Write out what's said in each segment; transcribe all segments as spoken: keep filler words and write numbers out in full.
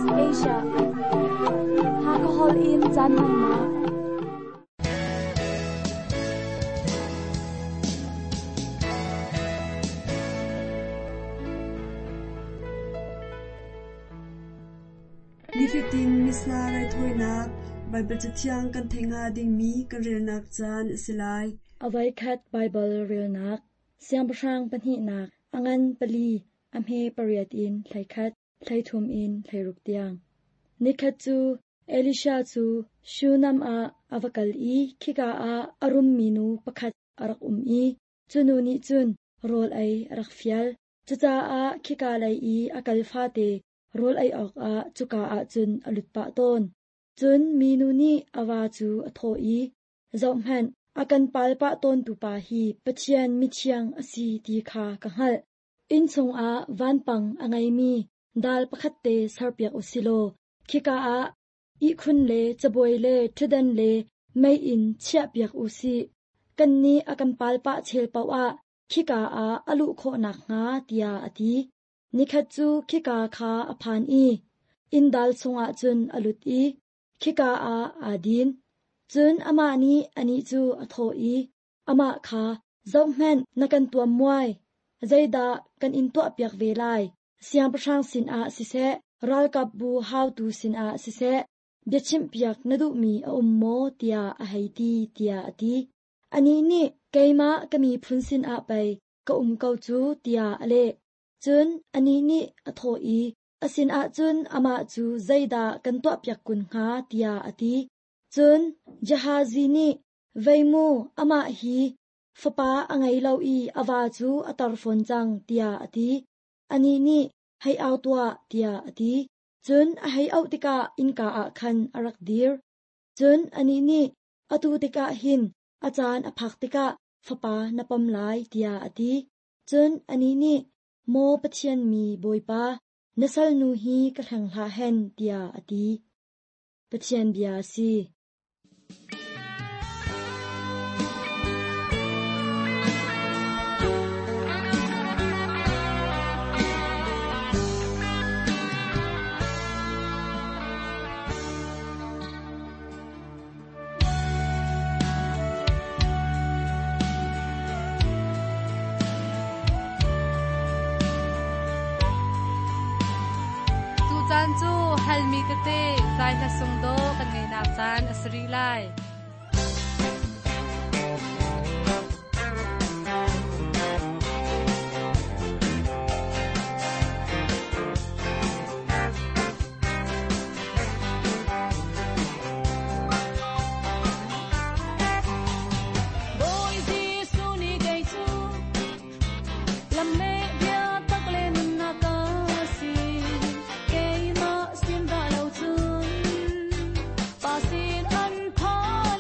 S B S Asia Hakahol in caan hmannak. Nifatin Missa raithawinak Baibal Cathiang kan theih hnga dingmi kan relnak caan a si lai. Avoikhat Baibal relnak Siangpahrang pahnihnak a ngan pali a hme pariat in hleikhat hleithum in hleiruk tiang. Nikhat cu Elisha cu Shunam ah a va kal i khika ah a rummi nu pakhat a rak um i cu nu nih cun rawl ei a rak fial. Cucaah khika lei i a kal fate rawl ei awkah cuka ah cun a lut pah tawn. Cun minu nih a va cu a thawh i, Zohhmanh, a kan pal pah tawntu pa hi Pathian mithiang a si ti kha ka hngalh. Inn chungah vanpang a ngeimi dal pakhat te serpiak u si law, khika ah ihkhun le cabuai le ṭhutdan le meiinn chiahpiak u sih. Kannih a kan pal pah chel paoh ah khika ah a luh khawh nakhnga, tiah a ti. Nikhat cu khika kha a phan i inn dal chungah cun a lut i khika ah aa din. Cun amah nih anih cu a thawh i, amah kha, Zohhmanh, na kan tuam muai. Zeidah kan in tuahpiak ve lai? Siangpahrang sinah siseh, ralkapbu haotu sinah siseh, biachimhpiak na duhmi a um maw, tiah a hei ti, tiah a ti. Anih nih, keimah ka miphun sinah pei ka um ko cu, tiah a leh. Cun anih nih a thawh i, a sinah cun amah cu zeidah kan tuahpiak kun hnga, tiah a ti. Cun Gehazi nih, vei mu, amah hi fapa a ngei lo i a va cu a tar fawn cang, tiah a ti. Anih nih, hei au tuah, tiah a ti. Cun a hei auh tikah innka ah khan a rak dir. Cun anih nih, atu tikah hin a caan a phak tikah fapa na pom lai, tiah a ti. Cun anih nih, maw Pathian mi Bawipa, na salnu hi ka hleng hlah hen, tiah a ti. Pathian bia si. Tucaan cu halmi tete zai hla sung do kan ngei nak caan a si rih lai. Bawi Jesuh nih kei cu lam le bia tak le nunnak ka si. Keimah sin dah lo cun pa sin an phan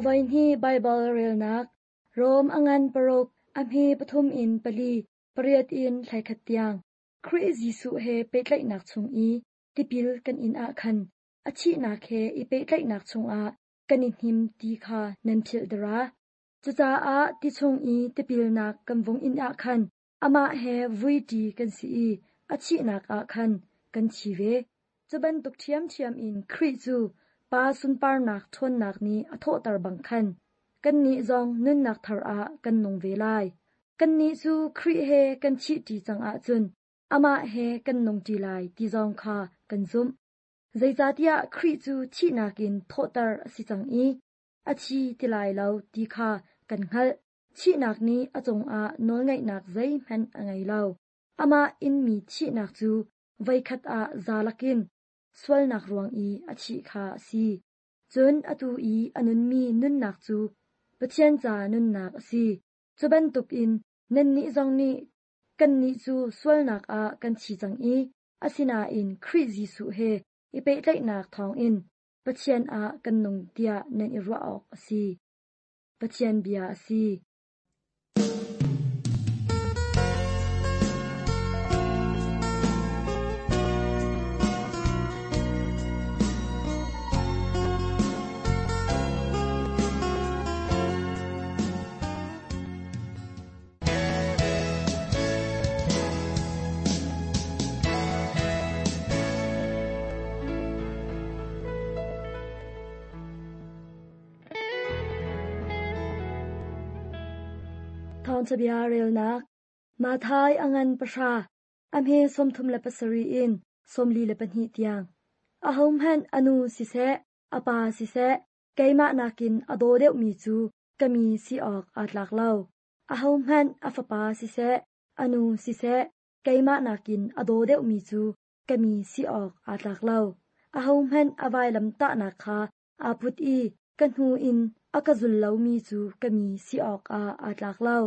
Avai hni Baibal relnak Rom angan paruk a hme pathum in pali pariat in thlaikhat tiang Khrih Jesuh he pehtlaihnak chung i tipil kan in ah khan a thihnak he i pehtlaihnak chungah kan i hnim ti kha nan philh dara. Cucaah ti chung i tipilnak kan vung in ah khan amah he vuiṭi kan si i a thihnak ah khan kan thi ve. Cu bantuk ṭhiamṭhiam in Khrih cu Pa sunparnak ṭhawnnak nih a thawhter bang khan kannih zong nunnak thar ah kan nung ve lai. Kannih cu Khrih he kan thihṭi cang ahcun amah he kan nungṭi lai ti zong kha kan zumh. Zeicahtiah Khrih cu thihnak in thawhter a si cang i a thi ti lai lo ti kha kan hngalh. Thihnak nih a cungah nawlngeihnak zeihmanh a ngei lo. Amah inmi thihnak cu voikhat ah za lakin sualnak ruang i a thih kha a si. Cun atu i a nunmi nunnak cu Pathian ca nunnak a si. Cu bantukin nannih zong nih kannih cu sualnak ah kan thi cang i asinain Khrih Jesuh he i pehtlaihnak thawngin Pathian ah kan nung tiah nan i ruah awk a si. Pathian bia a si. Thawngṭhabia relnak Mathai angan pahra a hme sawmthum le pasarih in sawmli le pahnih tiang. Ahohmanh a nu siseh, a pa siseh, keimah nakin a daw deuhmi cu ka mi si awk aa tlak lo. Ahohmanh a fapa siseh, a nu siseh, keimah nakin a daw deuhmi cu ka mi si awk aa tlak lo. Ahohmanh a vailam tahnak kha aa put i ka hnu in a ka zul lomi cu ka mi si awkah aa tlak lo.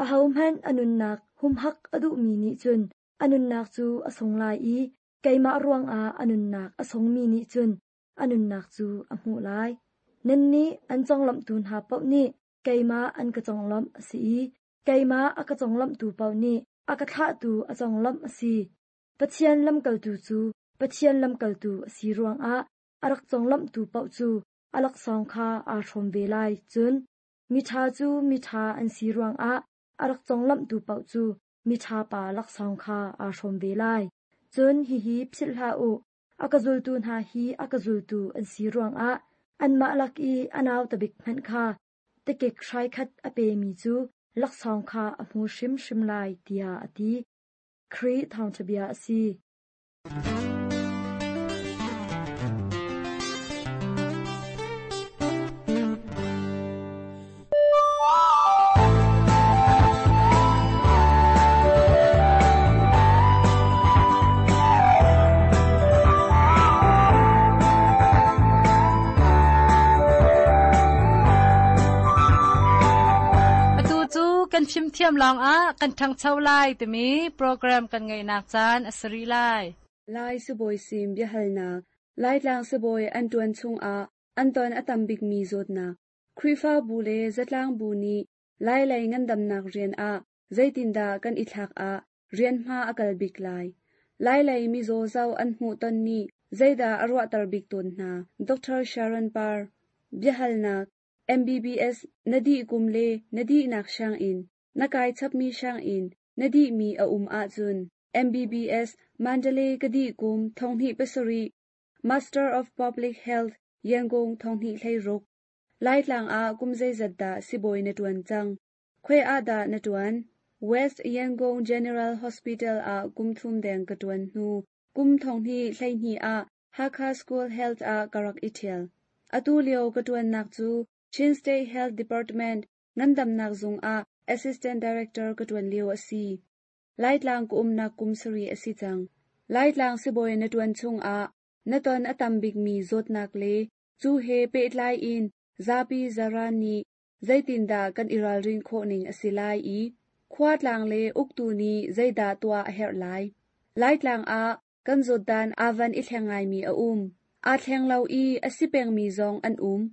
Ahohmanh a nunnak humhak a duhmi nih cun a nunnak cu a sung lai i keimah ruangah a nunnak a sungmi nih cun a nunnak cu a hmuh lai. Nannih an conglawmhtu hna paoh nih keimah an ka conglawmh a si i keimah a ka conglawmhtu paoh nih a ka thlahtu a conglawmh a si. Pathian lamkaltu cu Pathian lamkaltu a si ruangah a rak conglawmhtu paoh cu a laksawng kha aa hrawm ve lai. Cun miṭha cu miṭha an si ruangah a rak conglawmhtu paoh cu miṭha pa laksawng kha aa hrawm ve lai. Cun hihi philh hlah u, a ka zultu hna hi a ka zultu an si ruangah anmah lak i a nauta bik hmanh kha tikik hrai khat a pemi cu laksawng kha a hmu hrimhrim lai, tiah a ti. Khrih thawngṭhabia a si. Kan fimthiam lawngah kan ṭhangcho lai timi program kan ngeihnak caan a si rih lai. Lai sibawi sim biahalnak Laitlang sibawi an ṭuan chungah an ton a tam bikmi zawtnak Khrihfabu le zatlang bu nih Lai lei ngandamnak rian ah zeitindah kan i thlak ah rian hma a kal bik lai. Lai lei mizaw zoh an hmuh ton nih zeidah a ruahter bik tawn hna. Doctor Sharon Parr biahalnak M B B S na dih kum le na dihnak sianginn na kai chapmi sianginn na dihmi a um ahcun M B B S Mandalay ka dih kum thonghnih pasarih Master of Public Health Yangon thonghnih hleiruk Laitlang ah kum zeizat dah sibawi na ṭuan cang Khoi ah dah na ṭuan West Yangon General Hospital ah kum thum deng ka ṭuan hnu kum thonghnih hleihnih ah Hakha School Health ah ka rak i ṭhial atu lio ka ṭuannak cu Chin State Health Department ngandamnak zung ah Assistant Director ka ṭuan lio a si. Laitlang ka umnak kum sarih a si cang. Laitlang sibawi na ṭuan chungah na ton a tam bikmi zawtnak le cu he pehtlai in zapi zaran nih zeitindah kan i ralrin khawh ning a si lai i khua tlang le uktu nih zeidah tuah a herh lai. Laitlang ah kan zawtdan aa van i thleng ngaimi a um. Aa thleng lo i a si pengmi zong an um.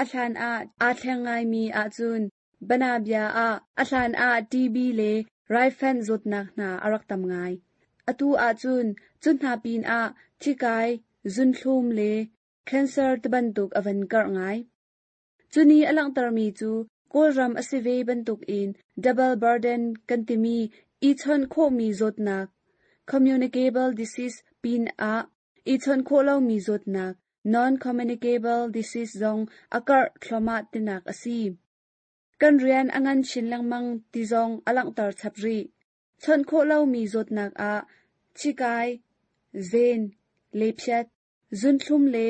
A hlan ah aa thleng ngaimi ahcun banabia ah a hlan ah TB le raifanh zawtnak hna a rak tam ngai. Atu ahcun cu hna pinah thikai, zunthlum le cancer tibantuk a van karh ngai. Cuni a langhtermi cu Kawlram a si ve bantukin double burden kan timi i chawnh khawhmi zawtnak communicable disease pinah i chawnh khawh lomi zawtnak non-communicable disease zong a karh thluahmah tinak a si. Kan rian a ngan chin lengmang ti zong a langhter chap rih. Chawnh khawh lomi zawtnak ah thikai, zen, lephiat, zunthlum le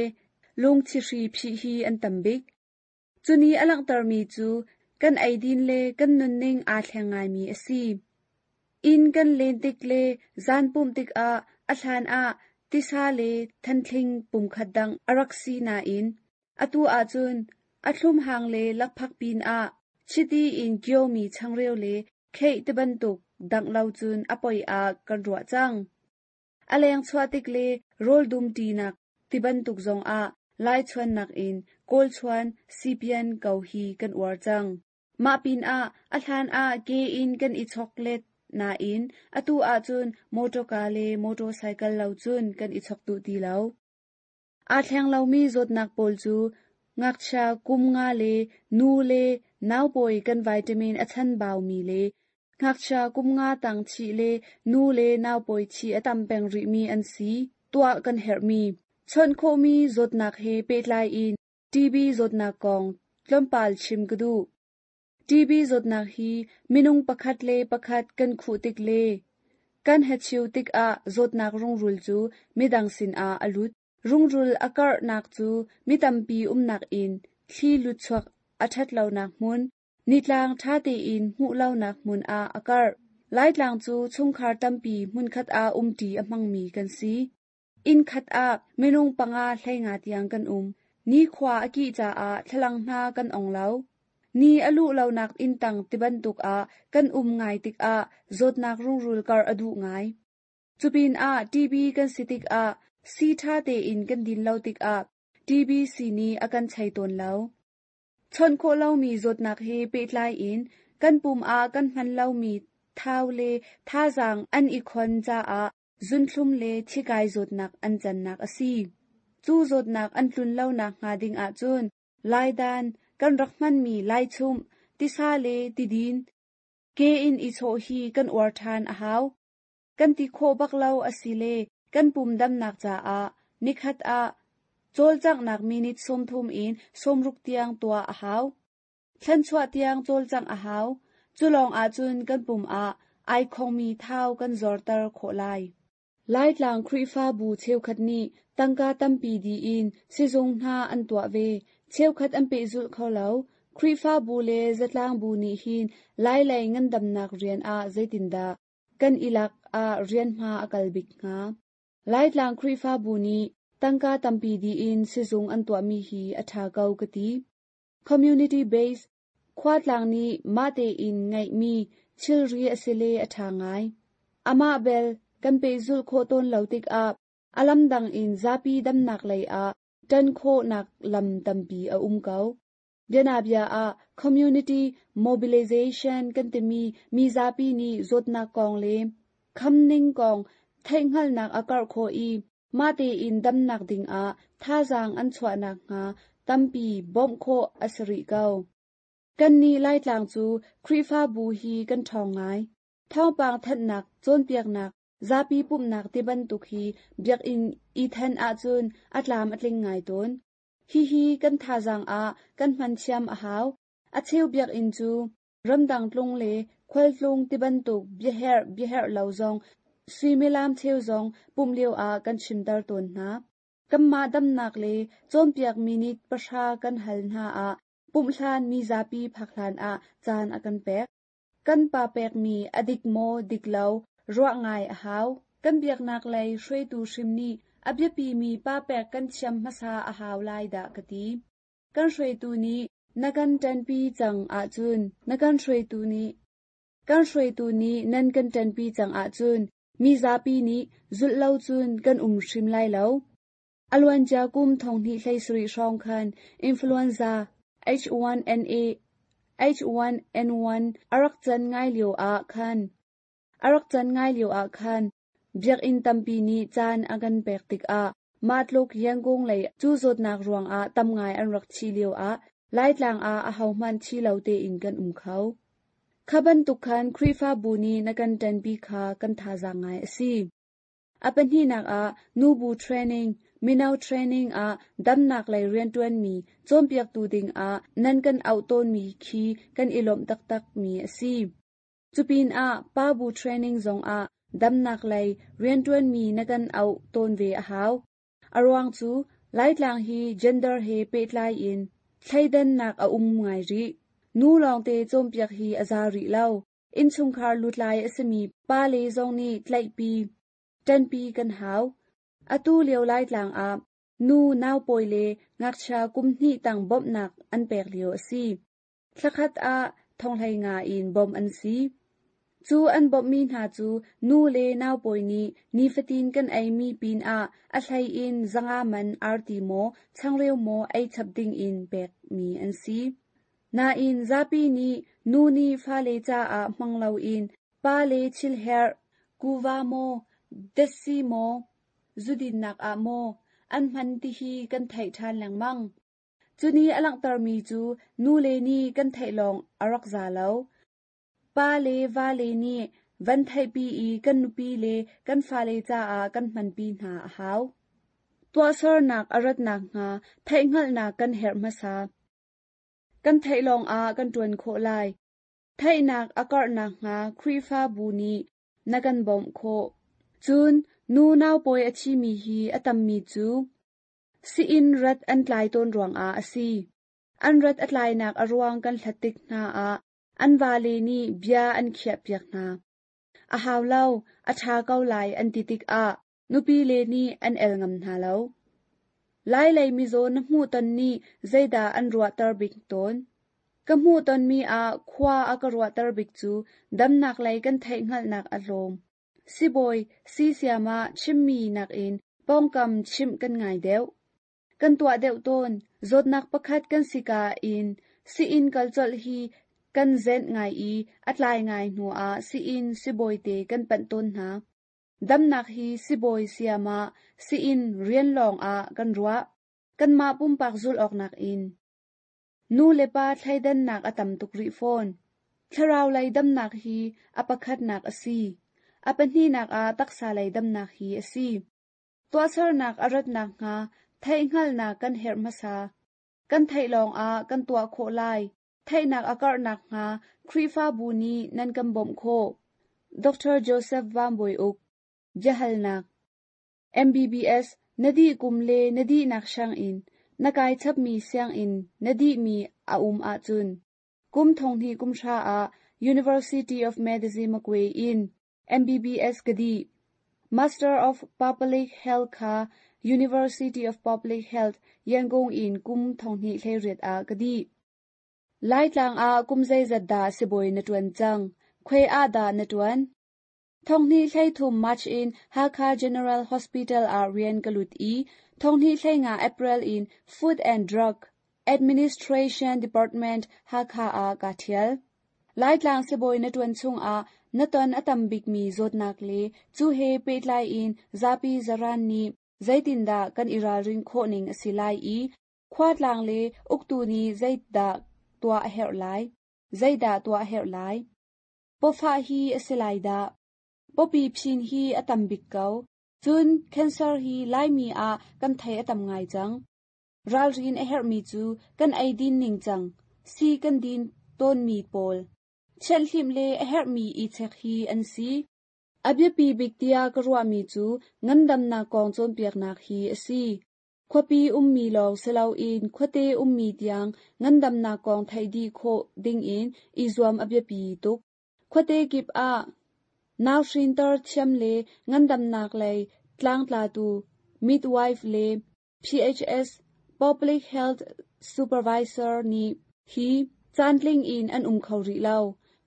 lungthihri phih hi an tam bik. Cuni a langhtermi cu kan eidin le kan nunning aa thleng ngaimi a si. Inn kan len tik le zan pumh tikah a hlan ah tisa le thanthling pumkhat dang a rak si nain atu ahcun a thlum hang le lakphak pinah chiti in kiomi changreu le khei tibantuk dangh lo cun a poi ah kan ruah cang. A leng chuah tik le rawl dum ṭinak tibantuk zongah lai chuannak in kawl chuan sipian ko hi kan uar cang. Mah pinah a hlan ah ke in kan i choklet nain atu ahcun motorka le motorcycle lo cun kan i chok duh ti lo. Aa thleng lomi zawtnak pawl cu ngakchia kum nga le nu le naupawi kan vitamin a chanbaumi le ngakchia kum nga tang thih le nu le naupawi thih a tam peng rihmi an si. Tuah kan herhmi. Chawnh khawhmi zawtnak he pehtlai in TB zawtnak kong tlawmpal chim ka duh. TB zawtnak hi minung pakhat le pakhat kan khuh tik le kan hachiu tikah zawtnak rungrul cu midang sinah a lut. Rungrul a karhnak cu mi tampi umnak in thli lutchuak a ṭhat lonak hmun, nitlang ṭha tein hmuh lonak hmun ah a karh. Laitlang cu chungkhar tampi hmunkhat ah umṭi a hmangmi kan si. Inn khat ah minung panga hleinga tiang kan um. Nikhua a kih caah thlalang hna kan ong lo. Ni a luh lonak inn tang tibantuk ah kan um ngai tikah zawtnak rungrul karh a duh ngai. Cupinah TB kan si tikah sii ṭha tein kan din lo tikah TB sii nih a kan chei tawn lo. Chawnh khawh lomi zawtnak he pehtlai in kan pum ah kan hman lomi thau le thazaang an i khon caah zunthlum le thikai zawtnak an cannak a si. Cu zawtnak an tlun lonak hnga ding ahcun laidan kan rak hmanmi laichumh, tisa le tidin, ke in i chawh hi kan uar ṭhan a hau. Kan ti khawh bak lo asile kan pum damnak caah nikhat ah cawlcanghnak minute sawmthum in sawmruk tiang tuah a hau. Thlanchuah tiang cawlcangh a hau. Cu lawng ahcun kan pum ah ai khongmi thau kan zorter khawh lai. Laitlang Khrihfabu cheukhat nih tangka tampi diin sizung hna an tuah ve. Cheukhat an pehzulh kho lo. Khrihfabu le zatlangbu nih hin Lailei ngandamnak rian ah zeitindah kan i lak ah rian hma a kal bik hnga. Laitlang Khrihfabu nih tangka tampi diin sizung an tuahmi hi a ṭha ko ka ti. Community based khuatlang nih mah tein ngeihmi thilri a si le a ṭha ngai. Amah bel kan pehzulh khawh tawn lo tikah a lam dang in zapi damnak lei ah ṭan khawhnak lam tampi a um ko. Bianabia ah community mobilization kan timi mi zapi nih zawtnak kong le khamning kong theihhngalhnak a karh khawh i mah tein damnak dingah thazaang an chuahnak hnga tampi bawmh khawh a si rih ko. Kannih Laitlang cu Khrihfabu hi kan ṭhawng ngai. Thawngpang thanhnak, cawnpiaknak, zapi pumhnak tibantuk hi biakinn i then ahcun a tlam a tling ngai tawn. Hihi kan thazaang ah kan hman thiam a hau. A cheu biakinn cu ramdang tlung le khualtlung tibantuk biaherh biaherh lo zong suimilam cheu zong pumh lio ah kan chimter tawn hna. Kanmah damnak le cawnpiak minute pahra kan hal hna ah pumh hlan mi zapi phak hlan ah caan a kan pek. Kan pa pekmi a dik maw dik lo ruah ngai a hau. Kan biaknak lei hruaitu hrim nih a biapimi pa pek kan thiam hmasa a hau lai dah ka ti. Kan hruaitu nih na kan ṭanpi cang ahcun na kan hruaitu nih kan hruaitu nih nan kan ṭanpi cang ahcun mi zapi nih zulh lo cun kan um hrim lai lo. A luancia kum thonghnih hlei sarih hrawng khan influenza H one N A H one N one a rak can ngai lio ah khan a rak can ngai lio ah khan biakinn tampi nih caan a kan pek tikah mah tluk Yangon lei cu zawtnak ruangah tam ngai an rak thi lio ah Laitlang ah ahohmanh thi lo tein kan um kho. Kha bantuk khan Khrihfabu nih na kan ṭanpi kha kan thazaang ngai a si. A pahnihnak ah nubu training, mino training ah damnak lei rianṭuanmi cawnpiaktu dingah nan kan auh tawnmi khi kan i lawmh taktakmi a si. Cupinah pabu training zongah damnak lei rianṭuanmi na kan auh tawn ve a hau. A ruang cu Laitlang hi gender he pehtlai in thleidannak a um ngai rih. Nu lawngte cawnpiak hi a za rih lo. Innchungkhar lutlai a simi pa le zong nih tlaihpi, ṭanpi kan hau. Atu lio Laitlang ah nu naupawi le ngakchia kum hnih tang bawmhnak an pek lio a si. Thlakhat ah thonghlei nga in bawmh an si. Cu an bawmhmi hna cu nu le naupawi nih nifatin kan eimi pinah a hlei in zanga man arti maw changreu maw ei chap dingin pekmi an si. Nain zapi nih nu nih fale caah hmang loin pa le thilherh, kuva maw, datsi maw, zudinnak ah maw an hman tihi kan theih ṭhan lengmang. Cuni a langhtermi cu nu le nih kan theih lawng a rak za lo. Pa le va le nih van theihpi i kan nupi le kan fale caah kan hmanpi hna a hau. Tuahsernak a ratnak hnga theihhngalhnak kan herh hmasa. Kan theih lawngah kan ṭuan khawh lai. Theihnak a karhnak hnga Khrihfabu nih na kan bawmh khawh. Cun nu naupawi a thimi hi a tammi cu si-inn rat an tlai tawn ruangah a si. An rat a tlainak a ruang kan hlat tik hna ah an vale nih bia an khiahpiak hna. A hau lo, a ṭha ko lai an ti tikah nupi le nih an el ngam hna lo. Lai lei mizaw na hmuhton nih zeidah an ruahter bik tawn? Ka hmuhtonmi ah khua a ka ruahter bik cu damnak lei kan theihhngalhnak a hlawm. Sibawi sisiam ah chimmi nakin pawngkam chimh kan ngai deuh. Kan tuah deuh tawn. Zawtnak pakhat kan si ka in si-inn kal colh hi kan zenh ngai i a tlai ngai hnuah si-inn sibawite kan panh tawn hna. Damnak hi sibawi siam ah si-inn rian lawngah kan ruah. Kanmah pumpak zulh awknak in. Nu le pa thleidannak a tam tuk rih fawn. Thlarau lei damnak hi a pakhatnak a si. A pahnihnak ah taksa lei damnak hi a si. Tuahsernak a ratnak hnga theihhngalhnak kan herh hmasa. Kan theih lawngah kan tuah khawh lai. Theihnak a karhnak hnga Khrihfabu nih nan kan bawmh khawh. Doctor Joseph Van Bawi Uk Biahalnak M B B S na dih kum le na dihnak sianginn na kai chapmi sianginn na dihmi a um ahcun kum thonghnih kum hra ah University of Medicine Magwe in M B B S ka dih. Master of Public Health kha University of Public Health Yangon in kum thonghnih hleiriat ah ka dih. Laitlang ah kum zeizat dah sibawi na ṭuan cang? Khuai ah dah na ṭuan? Thonghnih hleithum March in Hakha General Hospital ah rian ka lut i thonghnih hleinga April in Food and Drug Administration Department Hakha ah ka ṭhial. Laitlang sibawi na ṭuan chungah na ton a tam bikmi zawtnak le cu he pehtlai in zapi zaran nih zeitindah kan i ralrin khawh ning a si lai i khuatlang le uktu nih zeidah tuah a herh lai? Zeidah tuah a herh lai? Pawfah hi a si lai dah? Pawpi phin hi a tam bik ko. Cun cancer hi Laimi ah kan thei a tam ngai cang. Ralrin a herhmi cu kan ei din ning cang. Si kan din tawnmi pawl. Thianhhlimh le a herhmi i chek hi an si. A biapi bik tiah ka ruahmi cu ngandamnak kong cawnpiaknak hi a si. Khuapi ummi lawng si loin khuate ummi tiang ngandamnak kong theih dih khawh dingin i zuam a biapi tuk. Khuate kip ah nauhrinter thiam le ngandamnak lei tlangtlatu midwife le P H S Public Health Supervisor nih hi caantling in an um kho rih lo.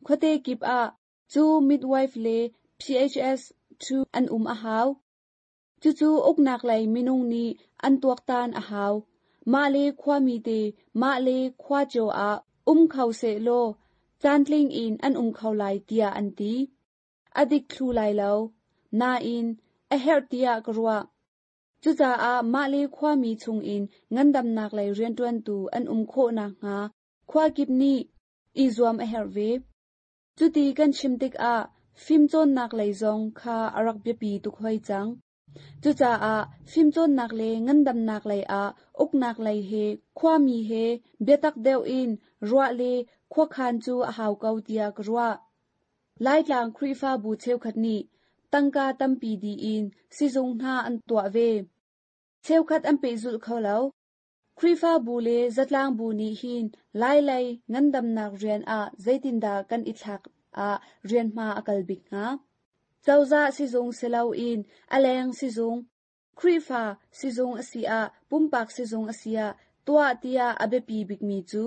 Khuate kip ah cu midwife le P H S two an um a hau. Cucu uknak lei minung nih an tuaktan a hau. Mah le khuami te mah le khua cio ah um kho sehlaw caantling in an um kho lai tiah an ti. A dik thlu lai lo. Nain a herh tiah ka ruah. Cucaah mah le khuami chungin ngandamnak lei rianṭuantu an um khawh nakhnga khua kip nih i zuam a herh ve. Cuti kan chim tikah fimcawnnak lei zong kha a rak biapi tuk hoi cang. Cucaah fimcawnnak le ngandamnak lei ah uknak lei he khuami he biatak deuh in ruah le khuakhan cu a hau ko tiah ka ruah. Laitlang Khrihfabu cheukhat nih tangka tampi diin sizung hna an tuah ve. Cheukhat an pehzulh kho lo. Khrihfabu le zatlangbu nih hin Lailei ngandamnak rian ah zeitindah kan i thlak ah rian hma a kal bik hnga? Cozah sizung si loin a leng sizung, Khrihfa sizung a si ah pumpak sizung a si ah tuah tiah a biapi bikmi cu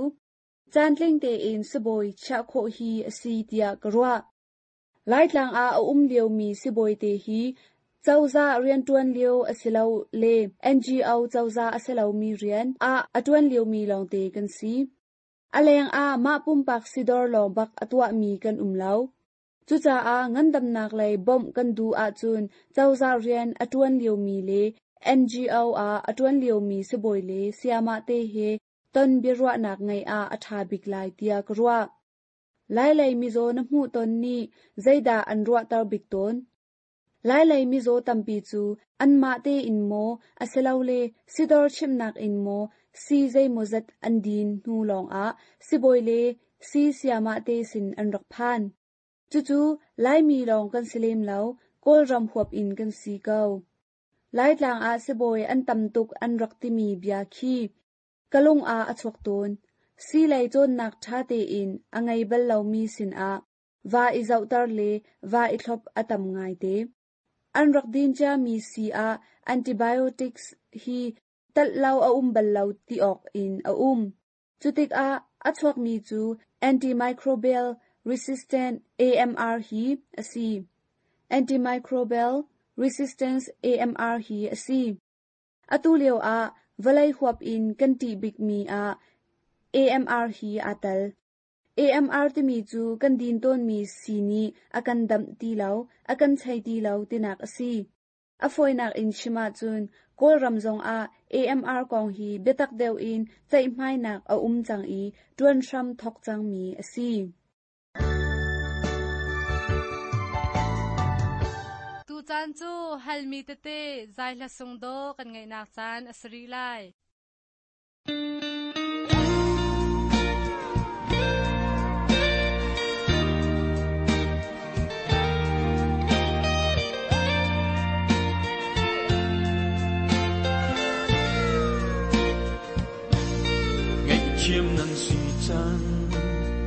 caantling tein sibawi chiah khawh hi a si tiah ka ruah. Laitlang ah a um liomi sibawi te hi cozah rianṭuan lio a si lo le N G O cozah a si lomi rian ah a ṭuan liomi lawngte kan si. A leng ah mah pumpak sidor lawng bak a tuahmi kan um lo. Cucaah ngandamnak lei bawmh kan duh ahcun cozah rian a ṭuan liomi le N G O ah a ṭuan liomi sibawi le sayamah te he ton biaruahnak ngeih ah a ṭha bik lai tiah ka ruah. Lailei mizaw na hmuh ton nih zeidah an ruahter bik tawn? Lailei mizaw tampi cu anmah tein maw asilole sidor chimnak in maw si zeimawzat an din hnu lawngah sibawi le si sayamah te sin an rak phan. Cucu Laimi lawng kan si lem lo, Kawlram huap in kan si ko. Laitlang ah sibawi an tam tuk an rak timi bia khi ka lung ah a chuak tawn. Si lei cawnnak ṭha tein a ngei bal lomi sinah va i zohter le va i thlop a tam ngaite. An rak din ciami si ah antibiotics hi talh lo a um bal lo ti awk in a um. Cutikah a chuakmi cu antimicrobial resistant A M R hi a si. Antimicrobial resistance A M R hi a si. Atu lio ah vawlei huap in kan ṭih bikmi ah A M R hi aa tel. A M R timi cu kan din tawnmi si nih a kan damh ti lo, a kan chei ti lo tinak a si. A fawinak in chim ahcun Kawlram zongah A M R kong hi biatak deuh in ceihmainak a um cang i ṭuan hram thawk cangmi a si. Tucaan cu halmi tete zai hla sung daw kan ngaihnak caan a si rih lai. Chiam nan si chan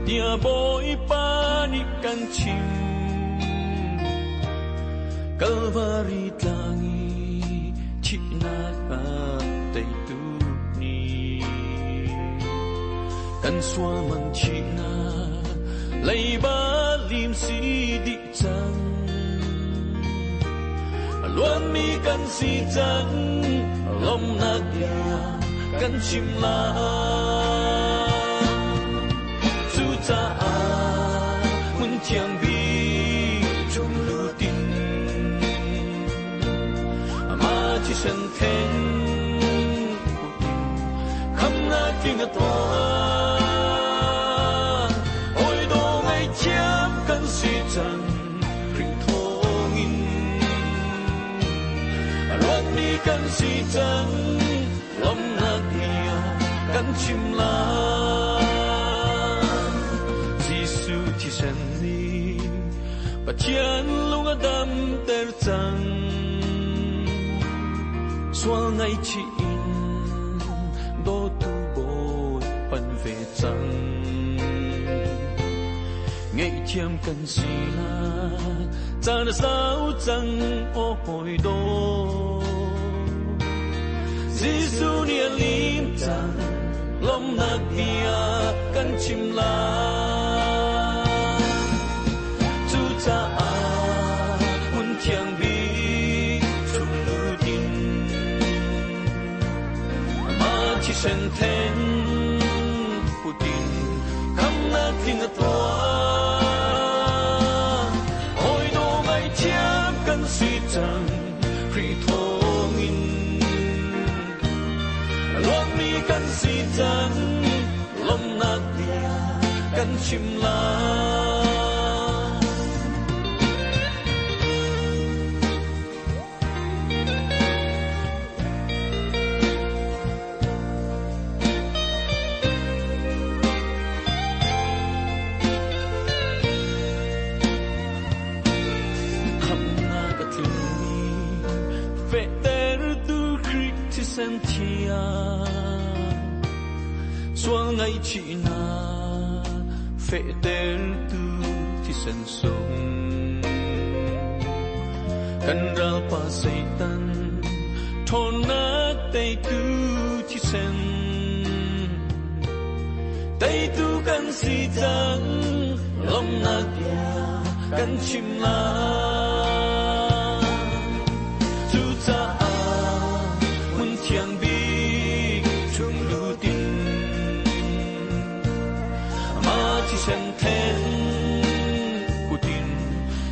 tia boi pa ni kan chim Calvary tlangi chi na pa tei tu ni kan sual man chi na lei ba lim si di chan luan mi kan si chan lom na dia kan chim la chu cha a mun thiang bi chung lu tin ma chi sen theng kham na ting a toa oi do ngai chiam kan si chan ring thong in luan mi kan si chan lom na dia kan chim la Giêsu chi sen ni Pathian lung a dam ter chang sual ngai chi in do tu boi pan ve chang ngei thiam kan si na chan sao chang o hoi do Giêsu ni lim chang lom na bia kan chim la chu cha a mun thiang bi chung lu kan chim lai. Sual ngai chi na fe ter tu thi sen sung kan ral pa Satan thon na te tu thi sen te tu kan si chang lom na bia kan chim la chu cha a mun thiang bi chung lu tin ma chi sen then putin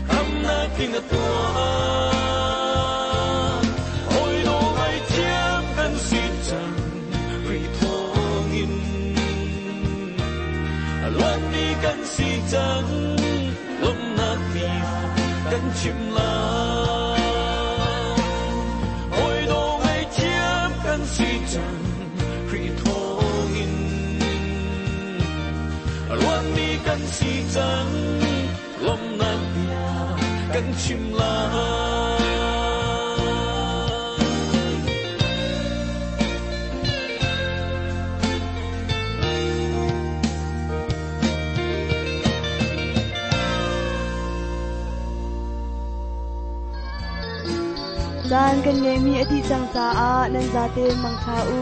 kham na king a tua oi do ngai chiam kan si chang ri thong in luat mi kan si chang lom na bia kan chim la oi do ngai chiam kan si chang ri thong in luat mi kan si chang lom na bia kan chim la. Caan kan ngeimi a dih cang caah nan zaten mangtha u.